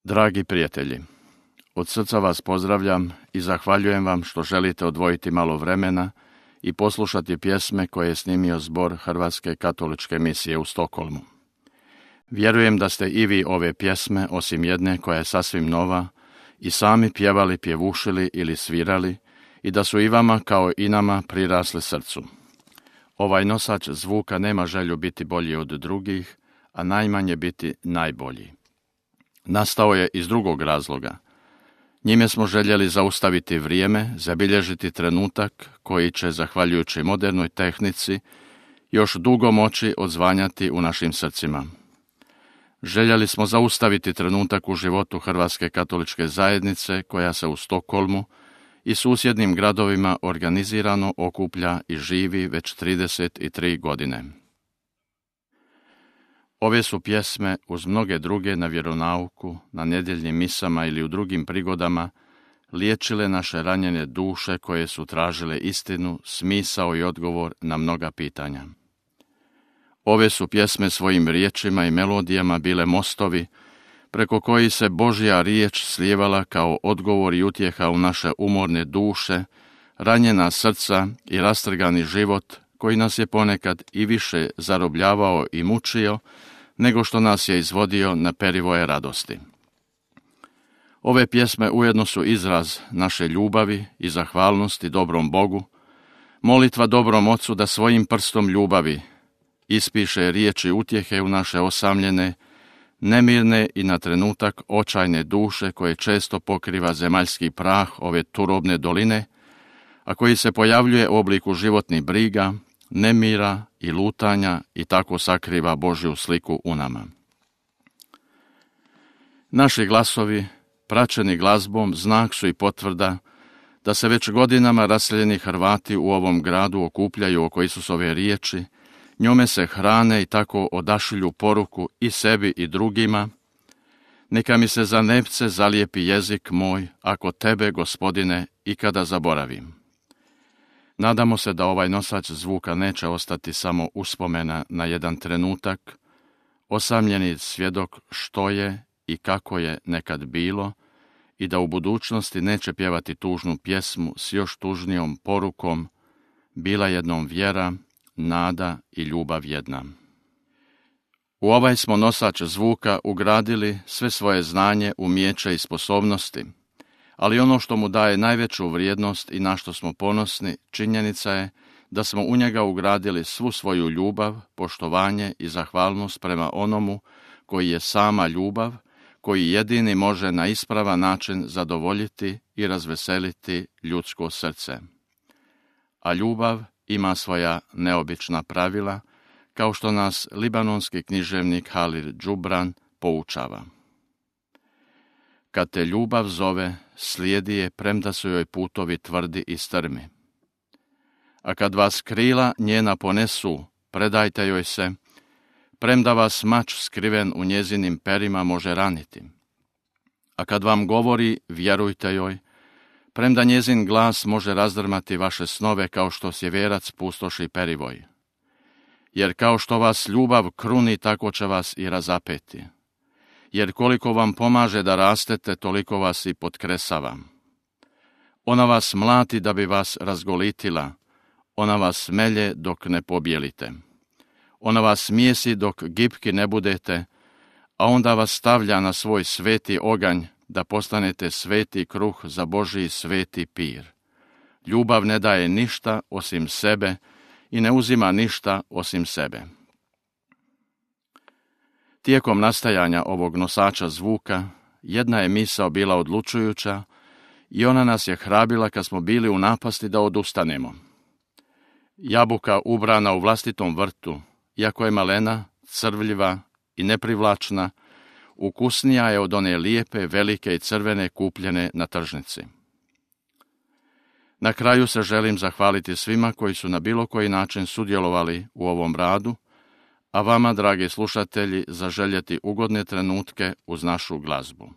Dragi prijatelji, od srca vas pozdravljam i zahvaljujem vam što želite odvojiti malo vremena i poslušati pjesme koje je snimio zbor Hrvatske katoličke misije u Stokholmu. Vjerujem da ste i vi ove pjesme, osim jedne koja je sasvim nova, i sami pjevali, pjevušili ili svirali i da su i vama kao i nama prirasli srcu. Ovaj nosač zvuka nema želju biti bolji od drugih, a najmanje biti najbolji. Nastao je iz drugog razloga. Njime smo željeli zaustaviti vrijeme, zabilježiti trenutak koji će, zahvaljujući modernoj tehnici, još dugo moći odzvanjati u našim srcima. Željeli smo zaustaviti trenutak u životu Hrvatske katoličke zajednice koja se u Stokholmu i susjednim gradovima organizirano okuplja i živi već 33 godine. Ove su pjesme, uz mnoge druge na vjeronauku, na nedjeljnim misama ili u drugim prigodama, liječile naše ranjene duše koje su tražile istinu, smisao i odgovor na mnoga pitanja. Ove su pjesme svojim riječima i melodijama bile mostovi preko koji se Božja riječ slijevala kao odgovor i utjeha u naše umorne duše, ranjena srca i rastrgani život koji nas je ponekad i više zarobljavao i mučio nego što nas je izvodio na perivoje radosti. Ove pjesme ujedno su izraz naše ljubavi i zahvalnosti dobrom Bogu, molitva dobrom Ocu da svojim prstom ljubavi ispiše riječi utjehe u naše osamljene, nemirne i na trenutak očajne duše koje često pokriva zemaljski prah ove turobne doline, a koji se pojavljuje u obliku životnih briga, nemira i lutanja i tako sakriva Božju sliku u nama. Naši glasovi, praćeni glazbom, znak su i potvrda da se već godinama raseljeni Hrvati u ovom gradu okupljaju oko Isusove riječi, njome se hrane i tako odašilju poruku i sebi i drugima: neka mi se za nepce zalijepi jezik moj, ako tebe, Gospodine, ikada zaboravim. Nadamo se da ovaj nosač zvuka neće ostati samo uspomena na jedan trenutak, osamljeni svjedok što je i kako je nekad bilo, i da u budućnosti neće pjevati tužnu pjesmu s još tužnijom porukom: bila jednom vjera, nada i ljubav jedna. U ovaj smo nosač zvuka ugradili sve svoje znanje, umijeće i sposobnosti, ali ono što mu daje najveću vrijednost i na što smo ponosni, činjenica je da smo u njega ugradili svu svoju ljubav, poštovanje i zahvalnost prema onomu koji je sama ljubav, koji jedini može na ispravan način zadovoljiti i razveseliti ljudsko srce. A ljubav ima svoja neobična pravila, kao što nas libanonski književnik Halil Džubran poučava. Kad te ljubav zove, slijedi je premda su joj putovi tvrdi i strmi. A kad vas krila njena ponesu, predajte joj se, premda vas mač skriven u njezinim perima može raniti. A kad vam govori, vjerujte joj, premda njezin glas može razdrmati vaše snove kao što sjeverac pustoši perivoj. Jer kao što vas ljubav kruni, tako će vas i razapeti. Jer koliko vam pomaže da rastete, toliko vas i potkresava. Ona vas mlati da bi vas razgolitila, ona vas melje dok ne pobjelite. Ona vas mijesi dok gipki ne budete, a onda vas stavlja na svoj sveti oganj da postanete sveti kruh za Božji sveti pir. Ljubav ne daje ništa osim sebe i ne uzima ništa osim sebe. Tijekom nastajanja ovog nosača zvuka, jedna je misao bila odlučujuća i ona nas je hrabrila kad smo bili u napasti da odustanemo. Jabuka ubrana u vlastitom vrtu, iako je malena, crvljiva i neprivlačna, ukusnija je od one lijepe, velike i crvene kupljene na tržnici. Na kraju se želim zahvaliti svima koji su na bilo koji način sudjelovali u ovom radu, a vama, dragi slušatelji, zaželjeti ugodne trenutke uz našu glazbu.